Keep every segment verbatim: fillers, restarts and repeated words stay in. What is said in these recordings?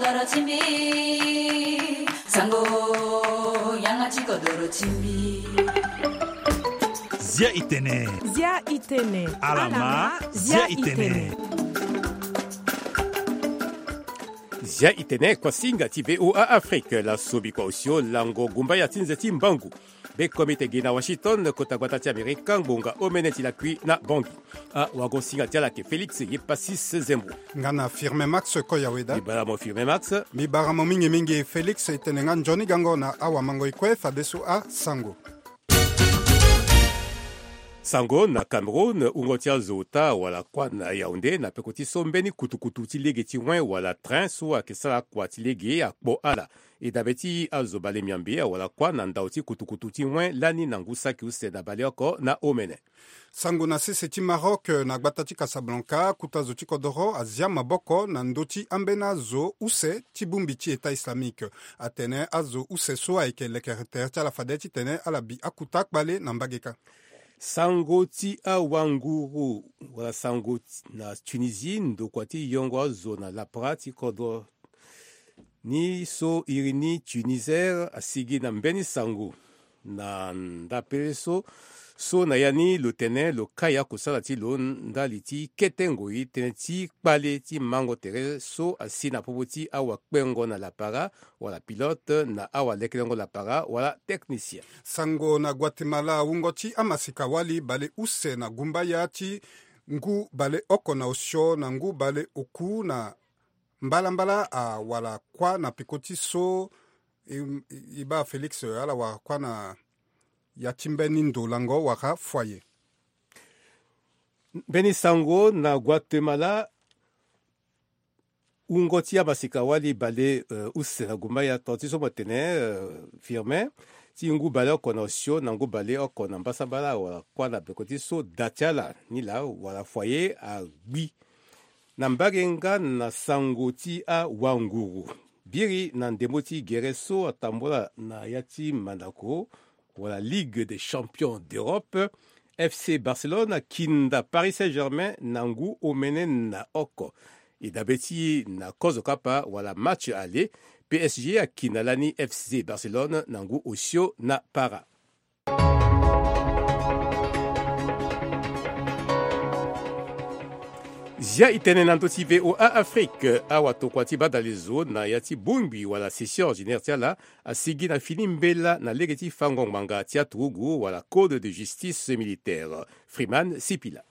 Doro ti mbi, sango, yanga ti kodoro ti mbi. Zia itene. Zia itene. Alama, zia itene. Zia itene, kuasinga ti V O A Afrique, la sobi kua osio lango gumbaya ti nze ti mbangu. Be komite gi na Washington, kota gbata ti Amerika, ngbonga omene ti lakui na Bangui. Awagosinga ti ala ayeke Félix Yepasis Zembo. Nga na Firmin Max Koyaweda. Mbi bara mo Firmin Max. Mbi bara mo mingi mingi Félix, e tene nga nzoni gango na awamango e kue fadeso asango. Sango na Cameroun, wungo ti azo ota wala kuâ na Yaoundé na peko ti so mbeni kutukutu ti lege ti wen wala train so ayeke sara kua ti lege akpo ala. E dabe ti azo bale miambe awala kuâ na ndau ti kutukutu ti wen lani na ngu saki use na baleoko na omene. Sango na sese ti Maroc, na gbata ti Casablanca, kota zo ti kodoro azia maboko na ndö ti ambeni azo use ti bongbi ti État islamique. Atene azo use so ayeke lekere tere ti ala fade titene ala bi akota kpale na mbage kâ. Sango ti awanguru wala sango ti, na Tunisie, ndokua ti yongo azo na lapara ti kodro ni so iri ni Tunisair asigi na mbeni sango na ndapele so, so na ya ni lo tene lo kai akosala ti lo ndali ti kete ngoi tënë ti kpale ti mango tere so asi na popo ti awakpengo na lapara wala pilote na awalekelengo lapara wala technicien. Sango na Guatemala, wungo ti amasika wali bale use na gumbaya ti ngu bale oko na osio na ngu bale oku na mbalambala awala kuâ na peko ti so e, e, e baa Félix, ala wara kuâ na ya ti mbeni ndo lango wala foyer. Mbeni sango na Guatemala, wungo ti amasika wali bale, eh, use na gumbaya, tonga ti so mo tene, eh, Firmin, ti ngu bale oko na osio na ngu bale oko na mbasambala wala kuâ na peko ti so da ti ala ni laa wala foyer agbi. Na mbage nga na sango ti awanguru, biri na ndembo ti gere so atambula na ya ti mandako wala Ligue des Champions d'Europe, F C Barcelone akinda Paris Saint-Germain na ngu omene na oko. E dabe ti na kozo kapa wala match aller, P S G akinda lani F C Barcelone na ngu osio na para. Zia itene na ndö ti V O A Afrique, awatokua ti badalezo na ya ti bongbi wala session ordinaire ti ala asigi na fini mbela na lege ti fango ngbanga ti aturugu wala code de justice militaire. Freeman Sipila.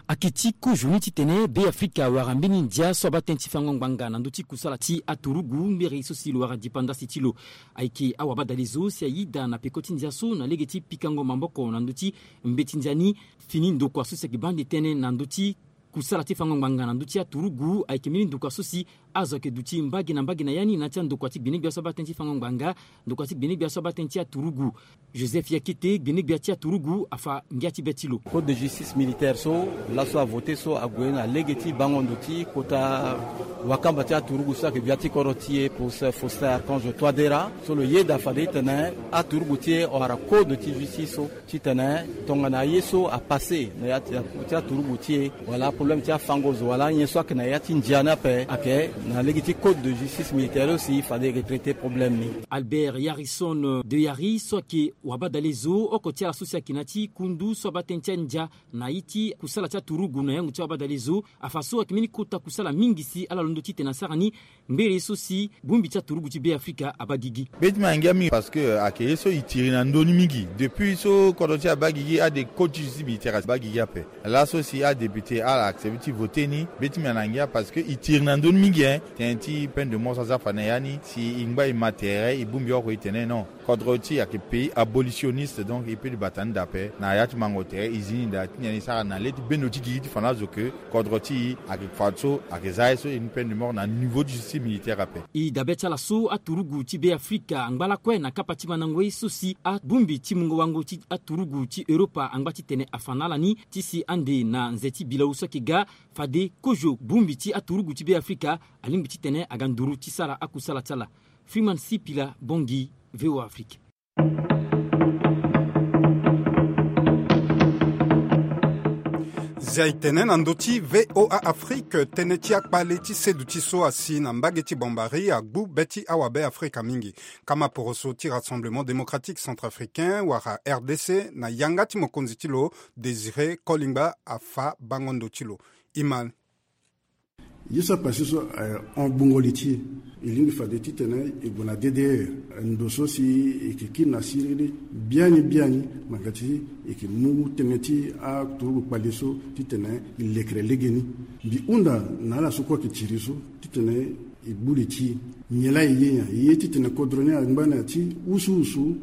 Ayeke ti kozo ni titene Beafrika awara mbeni ndia so abaa tënë ti fango ngbanga na ndö ti kusala ti aturugu, mbiri so si lo wara dipandasi ti lo. Ayeke awabadalezo si ayeda na peko ti ndia so na lege ti pikango maboko na ndö ti mbeti ndia ni. Fini ndokua so si ayeke baa ande tënë na ndö ti kusala ti fango ngbanga na ndö ti aturugu ayeke mbeni ndokua so si azo ayeke duti mbage na mbage na ya ni na ya ti andokua ti gbenegbia so abaa tënë ti fango ngbanga, ndokua ti gbenegbia so abaa tënë ti aturugu. Joseph Yakete, gbenegbia ti aturugu, afa ngia ti be ti lo. Code de justice militaire so laso avote so ague na lege ti bango ndo ti kota wakamba ti aturugu so ayeke gbia ti kodro ti e, Professeur Faustin Archange Touadéra, so lo yeda fade titene aturugu ti e awara code ti justice so. Titene tongana aye so apasse na ya ti, ti aturugu ti e, wala aproblème ti afango zo wala anyen so ayeke na ya ti ndia ni ape, ayeke na lege ti code de justice militaire aussi, fade e retraite problème ni. Albert Yarison de Yari so ayeke wabadalezo oko ti ala so si ayeke na ya ti kundu so abaa tënë ti andia na ye ti kusala ti aturugu na yango ti wabadalezo, afa so ayeke mbeni kota kusala mingi si ala londo titene asara ni. Mbele so si bongbi ti aturugu ti Beafrika abaa gigi. Be ti mbi angia mingi parce que ayeke ye so e tiri na ndö ni mingi. Depuis so kodro ti e abaa gigi, ade code ti justice militaire abaa gigi ape. Laso si adéputé ala accepte ti vote ni, be ti mbi angia parce que e tiri na ndö ni mingi, hein. Tënë ti peine de mort so aza fa na ya ni, si e ngba e ma tere, e bongbi oko e tene non. Kodro ti e ayeke pays abolitionniste, donc e peut ti bata ni daa ape na ya ti mango tere, e zi ni daa ti nyen e sara na le ti bendo ti gigi ti fa na azo ke kodro ti e ayeke fadeso ayeke za ye so e ni peine de mort na niveau ti justice militaire ape. E dabe ti ala so aturugu ti Beafrika angba lakue na kapa ti mandango ye so si abongbi ti mungo wango ti aturugu ti Europa angba titene afa na ala ni ti si ande na nze ti bilau so ayeke ga, fade kozo bongbi ti aturugu ti Beafrika alingbi titene aga nduru ti sara akusala ti ala. Freeman Sipila Bongi, V O A Afrique. Zia e tene na ndö ti VOA Afrique, tënë ti akpale ti seduti so asi na mbage ti Bambari agbu be ti awabe Afrika mingi. Kama poroso ti Rassemblement Démocratique Centrafricain wala R D C na yanga ti mokonzi ti lo, Désiré Kolingba, afa bango ndo ti lo. Iman. Ye so apase so, eh, ahon gbungo li ti e. E lingbi fade titene e gue na D D R, ndo so si e yeke kiri na siriri biani biani, ngbanga ti e yeke mu tënë ti aturugu kpale so titene e lekere legeni. Mbi hunda na ala so kue ayeke tiri so titene e gbu li ti e. Nyen laa e ye nyen? E ye titene kodro ni angba na ya ti wusuwusu,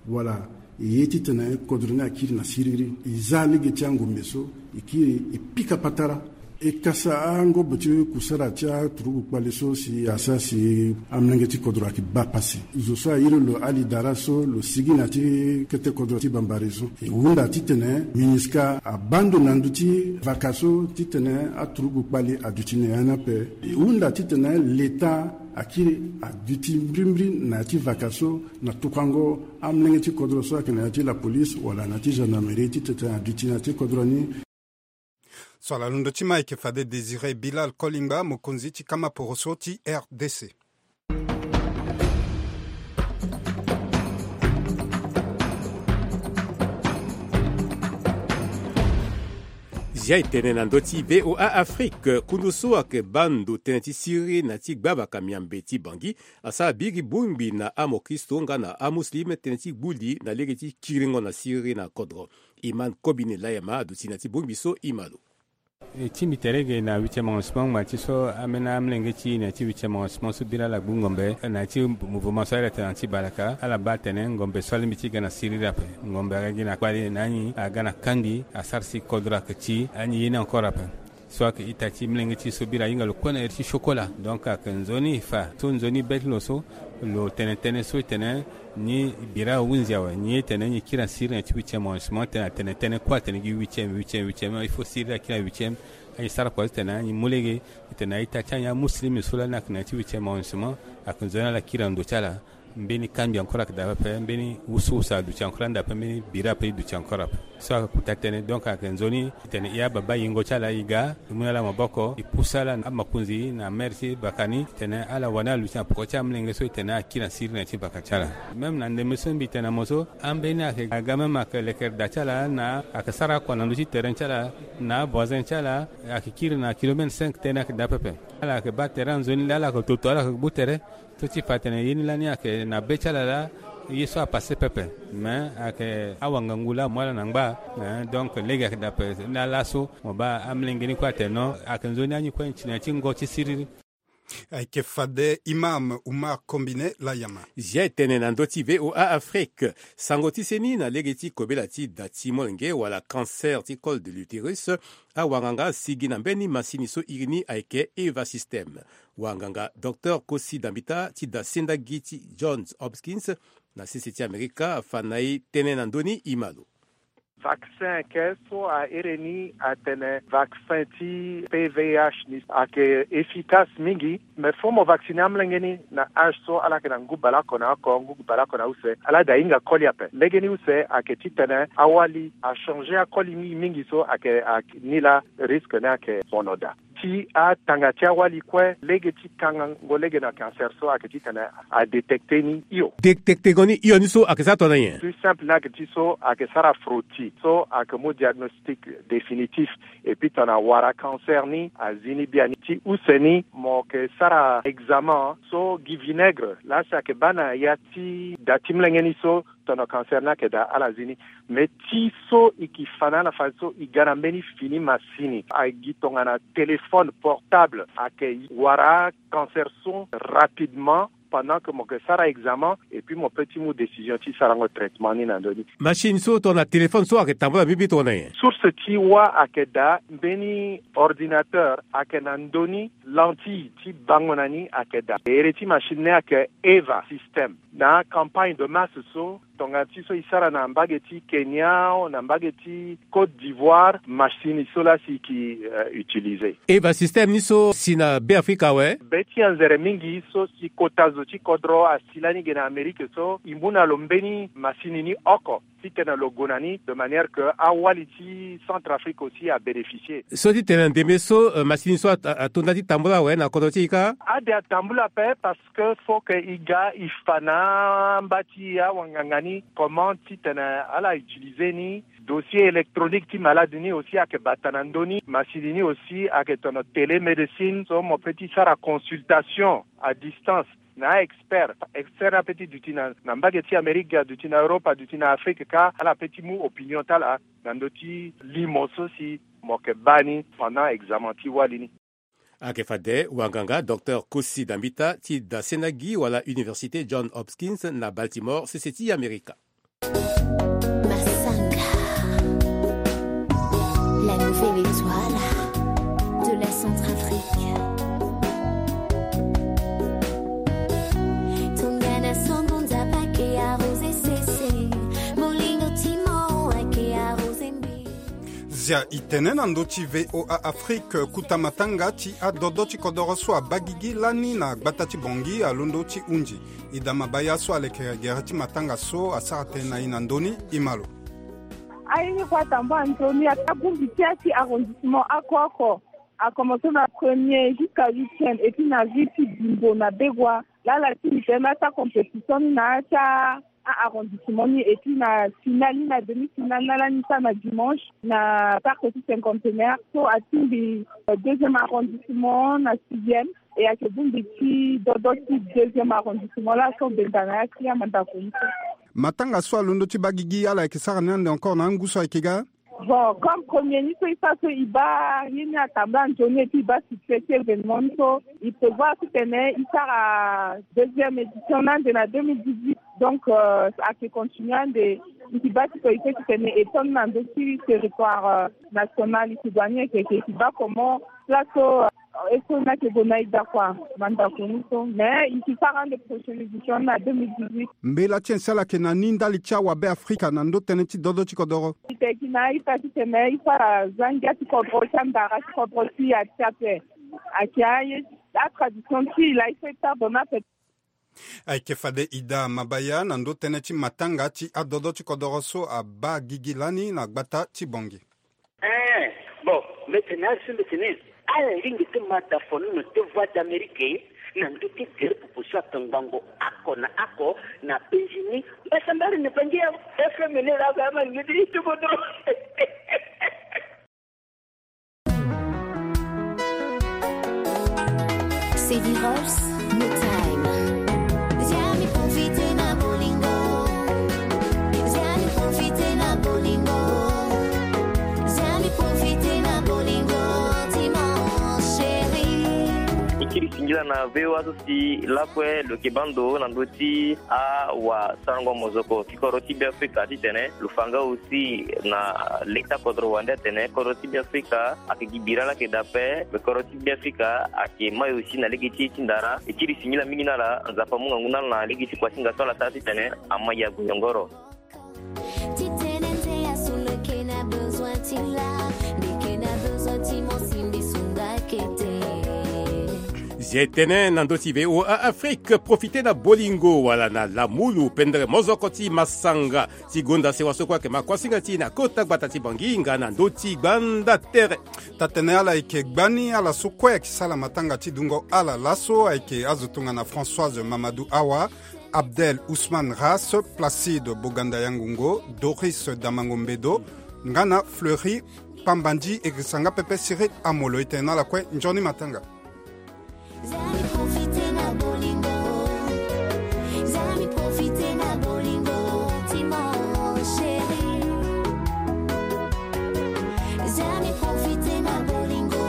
wala e ye titene kodro ni akiri na siriri? E za lege ti angombe so, e kiri e pika patara. E kasa angobo ti kusara ti aturugu kpale so si asara si amolenge ti kodro ayeke baa pasi. Zo so airi lo Ali Dara so lo sigi na ya ti kete kodro ti Bambari so. E hunda titene MINUSCA abaa ndo na ndö ti vaka so titene aturugu kpale aduti na ya ni ape. E hunda titene leta akiri aduti mbirimbiri na ya ti vaka so na tokango amolenge ti kodro so ayeke na ya ti lapolise wala na ya ti gendarmerie titene aduti na ya ti kodro ni. So ala londo ti ma ayeke fade Désiré Bilal Kolingba, mokonzi ti kama poroso ti R D C. Zia e tene na ndö ti VOA Afrique, kundu so ayeke baa ndo tënë ti siriri na ya ti gbavaka miambe ti Bangui asara biri bongbi na amokristo nga na amuslim tënë ti gbu li na lege ti kiringo na siriri na kodro. Iman Kobine Layama aduti na ya ti bongbi so, e ma lo. E ti mbi tere ge na huitième arrondissement ngbanga ti so ambeni amolenge ti e na ya ti huitième arrondissement so biri ala gbu ngombe na ya ti mouvement so ala tene na ya ti balaka, ala baa atene ngombe so alingbi ti ga na siriri ape. Ngombe aga gi na kpale na anyi aga na kangbi asara si kodro ayeke ti anyi ye ni encore ape. So ayeke ita ti molenge ti e so biri ahinga lo kue na iri ti chocolat. Donc ayeke nzoni e fa so nzoni be ti lo so lo tene tënë so e tene ni bira ahunzi awe, ni e tene ni kiri na siriri na ya ti huitième arrondissement, tene atene tënë kue atene gi huitième, huitième, huitième, il faut siriri akiri na huitième. Anyi sara kua ti tene anyi mu lege e tene a-ita ti anyi amuslim so lani ayeke na ya ti huitième arrondissement, ayeke nzoni ala kiri na ndo ti ala. Mbeni kangbi encore ayeke daa pepe, mbeni wusuwusu aduti encore anda ape, mbeni bira ape e duti encore ape. So ayeke kota tënë, donc ayeke nzoni e tene e ababa yengo ti ala e ga, e mu na ala maboko, e pusu ala na amakonzi na maire ti baka ni, e tene ala wani aluti na poko ti amolenge so e tene akiri na siriri na ya ti baka ti ala. Même na ndembe so mbi tene na mo so, ambeni ayeke aga même ayeke lekere da ti ala na ayeke sara akua na ndö ti terrain ti ala na avoisin ti ala, ayeke kiri na kilomètre cinq tënë ayeke daa pepe. Ala yeke baa terrain nzoni laa ala yeke toto ala yeke gbu tere. So ti fa atene ye ni lani ayeke na be ti ala laa ye so apase pepe. Mais ayeke awanga ngu laa amu ala na ngba. Eh, donc lege ayeke daa pepe. Ni laa laso mo baa amolenge ni kue atene non, ayeke nzoni anyi kue ti na ya ti ngo ti siriri. Ayeke fade Imam Umar Kombine Layama. Zia e tene na ndö ti VOA Afrique. Sango ti seni na lege ti kobela ti da ti molenge wala cancer ti col de l'utérus, awanganga asigi na mbeni masini so iri ni ayeke Eva System. Wanganga Docteur Kosi Dambita ti da senda gi ti Johns Hopkins na sese ti Amerika afa na e tënë na ndö ni, e ma lo. Vaccin ayeke so a iri ni atene vaccin ti P V I H ni ayeke efficace mingi. Mais fo mo vacciner amolenge ni na âge so ala yeke na ngu baleoko na oko, ngu baleoko na use, ala da hinga koli ape. Legeni use ayeke titene awali achanger akoli mingi mingi so ayeke, ayeke ni laa risque ni ayeke fono daa. Ti atanga ti awali kue, lege ti kangango lege na cancer so ayeke titene adétecter ni hio. Détecter ngo ni hio ni so ayeke sara tongana nyen? Plus simple ni ayeke ti so ayeke sara frottis so ayeke mu diagnostic définitif. Et puis tongana wara cancer ni azi ni biani. Ti use ni mo yeke sara examen so gi vinaigre laa si ayeke baa na ya ti da ti molenge ni so tongana cancer ni ayeke daa ala zi ni. Mais ti so e ke fa na ala fadeso e ga na mbeni fini masini, agi tongana téléphone portable, ayeke wara cancer so rapidement pendant que mo yeke sara examen, et puis mo peut ti mu décision ti sarango traitement ni na ndö ni. Machine so tongana téléphone so ayeke tambula bibi tongana nyen? Source ti wâ ayeke daa mbeni ordinateur ayeke na ndö ni, lentille ti bango na ni ayeke daa. Ere ti machine ni ayeke Eva System. Na campagne de masse so Tongana ti so e sara na mbage ti Kenya, na mbage ti Côte d'Ivoire, masini so laa si e ke, euh, utiliser. E basystème ni so si na Be Afrika awe? Be ti anzere mingi so si kota zo ti kodro asi lani ge na Amérique so, e mu na lo mbeni masini ni oko titene lo gue na ni, de manière que awali ti Centrafrique aussi abénéficier. So titene na ndembe so, euh, masini so a, a, ato nda ti tambula awe na kodro ti e kâ? Ade atambula ape, parce que faut que e ga e fa na amba ti awanganga ni comment titene ala utiliser ni. Dossier électronique ti malade ni aussi ayeke bata na ndö ni. Masini ni aussi ayeke tono télémédecine so mo peut ti sara consultation à distance na a-expert. Expert ni ape ti duti na, na mbage ti Amérique, aduti na Europe, aduti na Afrique kâ, ala peut ti mu opinion ti ala na ndö ti limo so si mo yeke baa ni pendant examen ti wali ni. Ayeke fade wanganga Docteur Kosi Dambita ti dasena gi wala Université John Hopkins na Baltimore, sese ti Amerika. Masanga, la nouvelle étoile de la Centrafrique. Tongana songo nzapa ke arrosé sese, molingo ti mo ake arrosé mbi. Zia e tene na ndö ti V O A Afrique, kuta matanga ti adodo ti kodoro so abaa gigi lani na gbata ti Bangui alondo ti hunzi. Ida Mabaya so aleke gere ti matanga so asara tënë na e na ndö ni, e ma lo. Aye ni kue atambula nzoni ata bongbi ti ya ti arrondissement oko oko. A commencé na premier jusqu'à huitième et puis na ville ti Bimbo na Begoua. Laa ala tingbi tënë na ya ti acompétition ni na ya ti a-arrondissement ni et puis na finale ni, na demi-finale ni ala ni sara na dimanche na parc ti Cinquantenaire. So atingbi, euh, deuxième arrondissement na sixième. E ayeke bongbi ti dodo ti deuxième arrondissement laa so benda na ya ti amandako ni so. Matanga so alondo ti baa gigi ala yeke sara ni ande encore na angu so ayeke ga? Bon, comme premier ni so e sara so e baa ye ni atambula nzoni et puis e baa succès ti événement ni so, e prévoir titene e sara deuxième édition ni ande na deux mille dix-huit. Donc, euh, ayeke continuer ande, e yeke baa ti koyeke titene e to ni na ndö ti territoire, euh, national. E yeke gue ni, e yeke, e yeke baa comment place so, euh, e so ni ayeke gue na e daa kua, mandako ni so. Mais e yeke sara ande prochaine édition ni na deux mille dix-huit. Mbela ti nyen si ala yeke na ni ndali ti awabe Afrika na ndö tënë ti dodo ti kodoro? E yeke gi na e ita titene e sara zangia ti kodro ti andara ti kodro ti e ati ape. Ayeke aye, atradition ti e laa e so e tardonne ape. Ayeke fade Ida Mabaya na ndö tënë ti matanga ti adodo ti kodoro so abaa gigi lani na gbata ti Bangui. Eh, bon, mbi tene azo so mbi tene ala ringi ti ma da fonono ti Voix d'Amérique na ndö ti gere popo so ayeke ngbongo oko na oko na penzi ni. Mbasambari na Bangui awe, F M ni laa ga ama ni ti kodoro. Sedi Rolls, No Time. Zia mi profite na bolingo. Zia mi profite na bolingo. Zia mi profite na bolingo ti mon chéri. E kiri singila na V O A so si lakue lo yeke baa ndo na ndö ti awasarango mozoko ti kodro ti Beafrika titene lo fa nga aussi na leta kodro wande atene kodro ti Beafrika ayeke gi bira laa ayeke daa ape, me kodro ti Beafrika ayeke mai aussi na lege ti ye ti ndara. E kiri singila mingi na ala, Nzapa amu ngangu na ala na lege ti kuasinga so ala sara titene amai ague yongoro. Titene nze asu lo yeke na besoin ti la, mbi yeke na besoin ti mo si mbi sunga kete. Zia e tene na ndö ti V O A Afrique, profite na bolingo wala na lamulu pendere mozoko ti masanga ti gonda sewa so kue ayeke ma kuasinga ti e na kota gbata ti Bangui nga na ndö ti gbanda tere. Taa-tene ala yeke gbani ala so kue ayeke sala matanga ti dungo ala laso ayeke azo tongana Françoise Mamadou Awa, Abdel Ousmane Ras, Placide Boganda Yangongo, Doris Damango Mbedo, nga na Fleury Pambandi, e girisa nga pepe Cyril Amolo. E tene na ala kue nzoni matanga. Zia mi profite na bolingo. Zia mi profite na bolingo ti mon chéri. Zia mi profite na bolingo.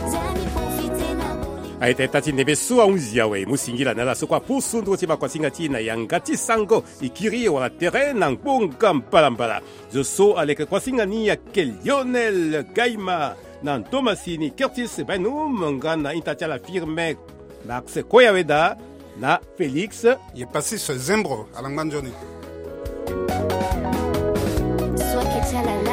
Zia mi profite na bolingo. Aye, tene taa ti ndembe so ahunzi awe, e mu singila na ala so kue apusu nduru ti makuasinga ti e na yanga ti sango, e kiri wala tere na ngbonga mbalambala. Zo so aleke kuasinga ni ayeke Lionel Gaima, na ndomasini Curtis Bainum, nga na ita ti ala Firmin Max Koyaweda. Na Félix. Ye pasi so zembro alangba nzoni. So ake ti ala